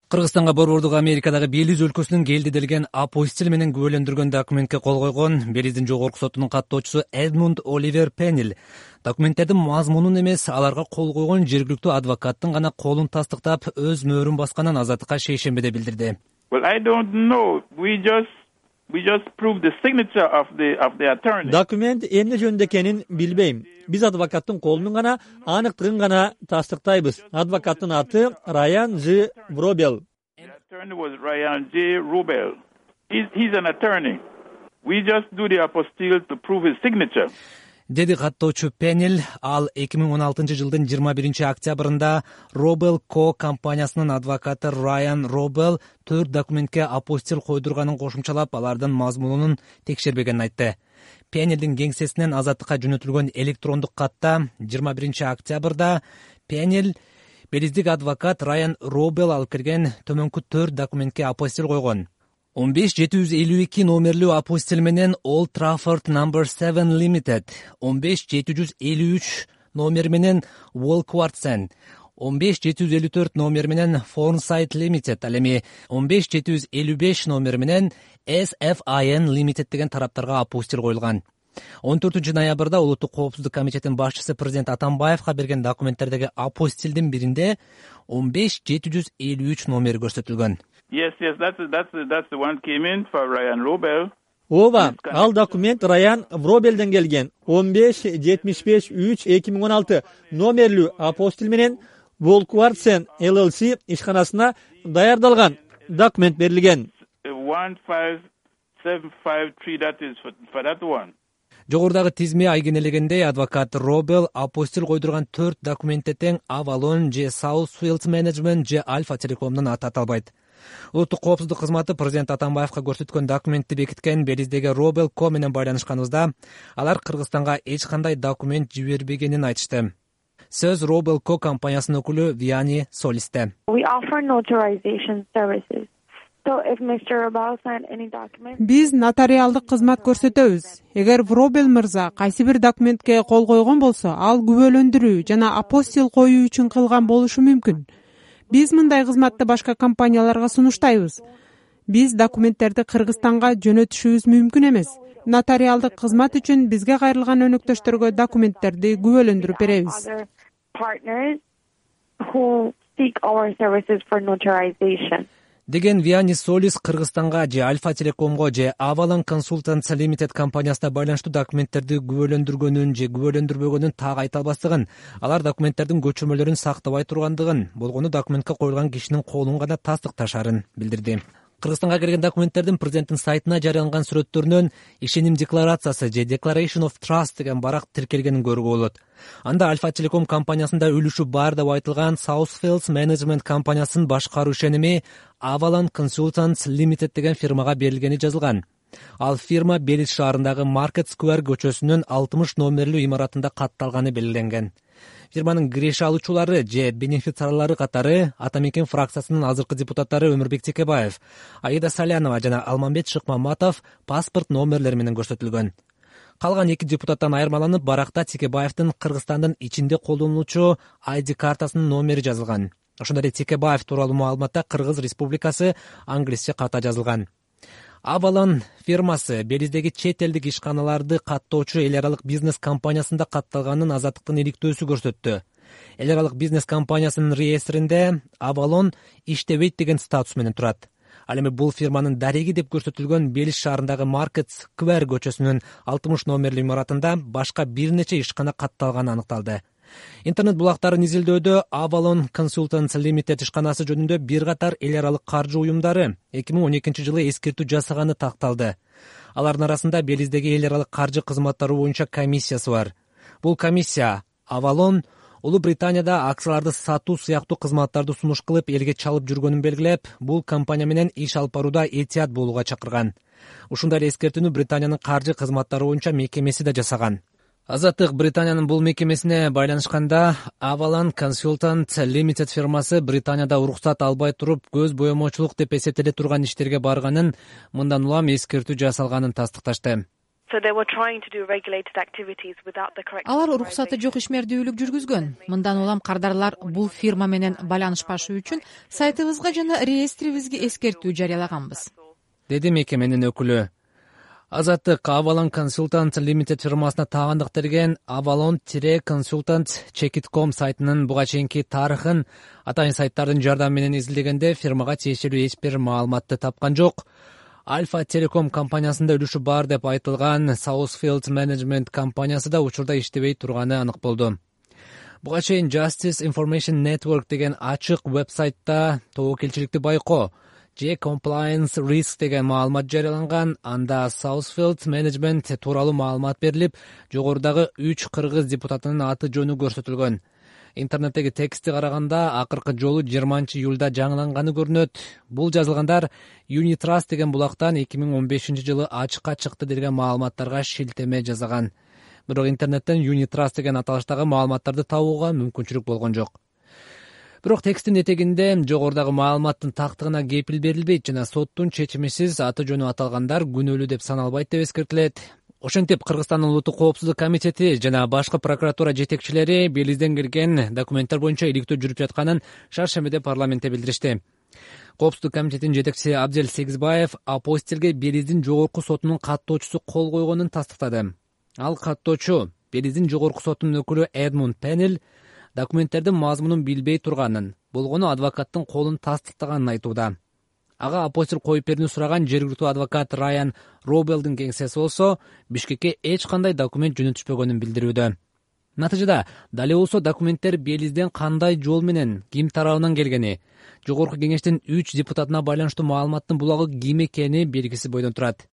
Кыргызстанга борбордук Америкадагы Белиз өлкөсүнүн келди апостил менен күбөлөндүргөн документке кол койгон Белиздин жогорку сотунун каттоочусу Эдмунд Оливер Пеннил документтердин мазмунун эмес, аларга кол койгон жергиликтүү адвокаттын гана колун тастыктап, өз мөөрүн басканын Азаттыкка шейшембиде билдирди. Well, I don't know. We just proved the signature of the attorney. Документ эмне жөнүндө экенин билбейм. Биз адвокаттын колунун гана аныктыгын гана тастыктайбыз. Адвокаттын аты Райан Ж. Вробел. The attorney was Ryan J. Rubel. He's an attorney. We just do the apostille to prove his signature. Деди каттоочу Пеннил. Ал 2016 жылдын 21 октябрында Робел Ко компаниясынын адвокаты Райан Робел 4 документке апостил койдурганын кошумчалап, алардын мазмунун текшербегенин айтты. Пеннилдин кеңсесинен Азаттыкка жөнөтүлгөн электрондук катта 21 октябрда Пеннил белиздик адвокат Райан Робел алып келген төмөнкү 4 документке апостил койгон. 15752 номерлүү апостил менен Old Trafford No. 7 Limited, 15753 номер менен Walkwartsen, 15754 номер менен Fornside Limited, ал эми 15755 номер менен SFIN Limited деген тараптарга апостил коюлган. 14 ноябрда Улуттук коопсуздук комитетинин башчысы президент Атамбаевга берген документтердеги апостилдин биринде 15753 номери көрсөтүлгөн. Yes, that's the one came in for Ryan Robel. Ооба, ал документ Раян Вробелден келген. 15-75-3-2016 номерлүү апостил менен Walkwartsen LLC ишканасына даярдалган документ берилген. 15753, that is for that one. Жогорудагы тизме айгинелегендей, адвокат Робел апостил койдурган 4 документте тең Avalon же Southfield Management же Alpha Telecom'дун аты аталбайт. Улуттук коопсуздук кызматы президент Атамбаевга көрсөткөн документти бекиткен Белиздеги Робел Ко менен байланышканыбызда, алар Кыргызстанга эч кандай документ жибербегенин айтышты. Сөз Робел Ко компаниясынын өкүлү Виани Солисте. We offer notarization services. Биз нотариалдык кызмат көрсөтөбүз. Эгер Вробел мырза кайсы бир документке кол койгон болсо, ал күбөлөндүрүү жана апостил коюу үчүн кылган болушу мүмкүн. Биз мындай кызматты башка компанияларга сунуштайбыз. Биз документтерди Кыргызстанга жөнөтүшүбүз мүмкүн эмес. Нотариалдык кызмат үчүн бизге кайрылган өнөктөштөргө документтерди күбөлөндүрүп беребиз. Деген Виани Солис Кыргызстанга же Alpha Telecom'го же Avalon Consultants Limited компаниясына байланыштуу документтерди күбөлөндүргөнүн же күбөлөндүрбөгөнүн так айта албастыгын, алар документтердин көчүрмөлөрүн сактабай тургандыгын, болгону документке коюлган кишинин колун гана тастыкташарын билдирди. Кыргызстанга келген документтердин президенттин сайтына жарыяланган сүрөттөрүнөн ишеним декларациясы же Declaration of Trust деген барак тиркелгенин көрүүгө болот. Анда Alpha Telecom компаниясында үлүшү бар деп айтылган Southfield Management компаниясынын башкаруу ишеними Avalon Consultants Limited деген фирмага берилгени жазылган. Ал фирма Белиз шаарындагы Market Square көчөсүнүн 60 номерлүү имаратында катталганы белгиленген. Фирманын киреше алуучулары же бенефициарлары катары Ата Мекен фракциясынын азыркы депутаттары Өмүрбек Текебаев, Аида Салянова жана Алмамбет Шыкмаматов паспорт номерлери менен көрсөтүлгөн. Калган 2 депутаттан айырмаланып, баракта Текебаевдин Кыргызстандын ичинде колдонулуучу ID картасынын номери жазылган. Ошондой эле Текебаев тууралуу маалыматта Кыргыз Республикасы англисче ката жазылган. Avalon фирмасы Белиздеги чет элдик ишканаларды каттоочу эл аралык бизнес компаниясында катталганын Азаттыктын иликтөөсү көрсөттү. Эл аралык бизнес компаниясынын реестринде Avalon иштебейт деген статус менен турат. Ал эми бул фирманын дареги деп көрсөтүлгөн Белиз шаарындагы Market Square көчөсүнүн 60 номерлүү имаратында башка бир нече ишкана катталганы аныкталды. Интернет булактарын изилдөөдө Avalon Consultants Limited ишканасы жөнүндө бир катар эл аралык каржы уюмдары 2012 жылы эскертүү жасаганы такталды. Алардын арасында Белиздеги эл аралык каржы кызматтары боюнча комиссиясы бар. Бул комиссия Avalon Улуу Британияда акцияларды сатуу сыяктуу кызматтарды сунуш кылып элге чалып жүргөнүн белгилеп, бул компания менен иш алып барууда этият болууга чакырган. Ушундай эле эскертүүнү Британиянын каржы кызматтары боюнча мекемеси да жасаган. Азаттык Британиянын бул мекемесине байланышканда Avalon Consultants Limited фирмасы Британияда уруксат албай туруп көз боемочулук деп эсептеле турган иштерге барганын, мындан улам эскертүү жасалганын тастыкташты. Алар уруксаты жок ишмердүүлүк жүргүзгөн. Мындан улам кардарлар бул фирма менен байланышпашы үчүн сайтыбызга жана реестрибизге эскертүү жарыялаганбыз, деди мекеменин өкүлү. Азаттык Avalon Consultant Limited фирмасына таандык берген avalon-consultant.com сайтынын буга чейинки тарыхын атайын сайттардын жардамы менен изилдегенде фирмага тиешелүү эч бир маалыматты тапкан жок. Alpha Telecom компаниясында үлүшү бар деп айтылган Southfield Management компаниясы да учурда иштебей турганы анык болду. Буга чейин Justice Information Network деген ачык вебсайтта тобокелчиликти байкоо же compliance risk деген маалымат жарыяланган. Анда Southfield Management тууралуу маалымат берилип, жогорудагы 3 кыргыз депутатынын аты жөнү көрсөтүлгөн. Интернеттеги текстти караганда акыркы жолу 20-июлда жаңыланганы көрүнөт. Бул жазылгандар Unitrust деген булактан 2015-жылы ачыкка чыкты деген маалыматтарга шилтеме жасаган. Бирок интернеттен Unitrust деген аталыштагы маалыматтарды табууга мүмкүнчүлүк болгон жок. Бирок тексттин этегинде жогорудагы маалыматтын тактыгына кепил берилбейт жана соттун чечимисиз аты жөнү аталгандар күнөөлүү деп саналбайт деп эскертилет. Ошентип Кыргызстандын Улуттук коопсуздук комитети жана башкы прокуратура жетекчилери Белизден келген документтер боюнча иликтөө жүрүп жатканын шаршембиде парламентте билдиришти. Коопсуздук комитетинин жетекчиси Абзел Сегизбаев апостилге Белиздин жогорку сотунун каттоочусу кол койгонун тастыктады. Ал каттоочу Белиздин жогорку сотунун өкүлү Эдмунд Пеннел документтердин мазмунун билбей турганын, болгону адвокаттын колун тастыктаганын айтууда. Ага апостил коюп берүүнү сураган жергиликтүү адвокат Райан Робелдин кеңсеси болсо Бишкекке эч кандай документ жөнөтүшпөгөнүн билдирүүдө. Натыйжада дали болсо документтер Белизден кандай жол менен, ким тарабынан келгени, жогорку кеңештин 3 депутатына байланыштуу маалыматтын булагы ким экени белгисиз бойдон турат.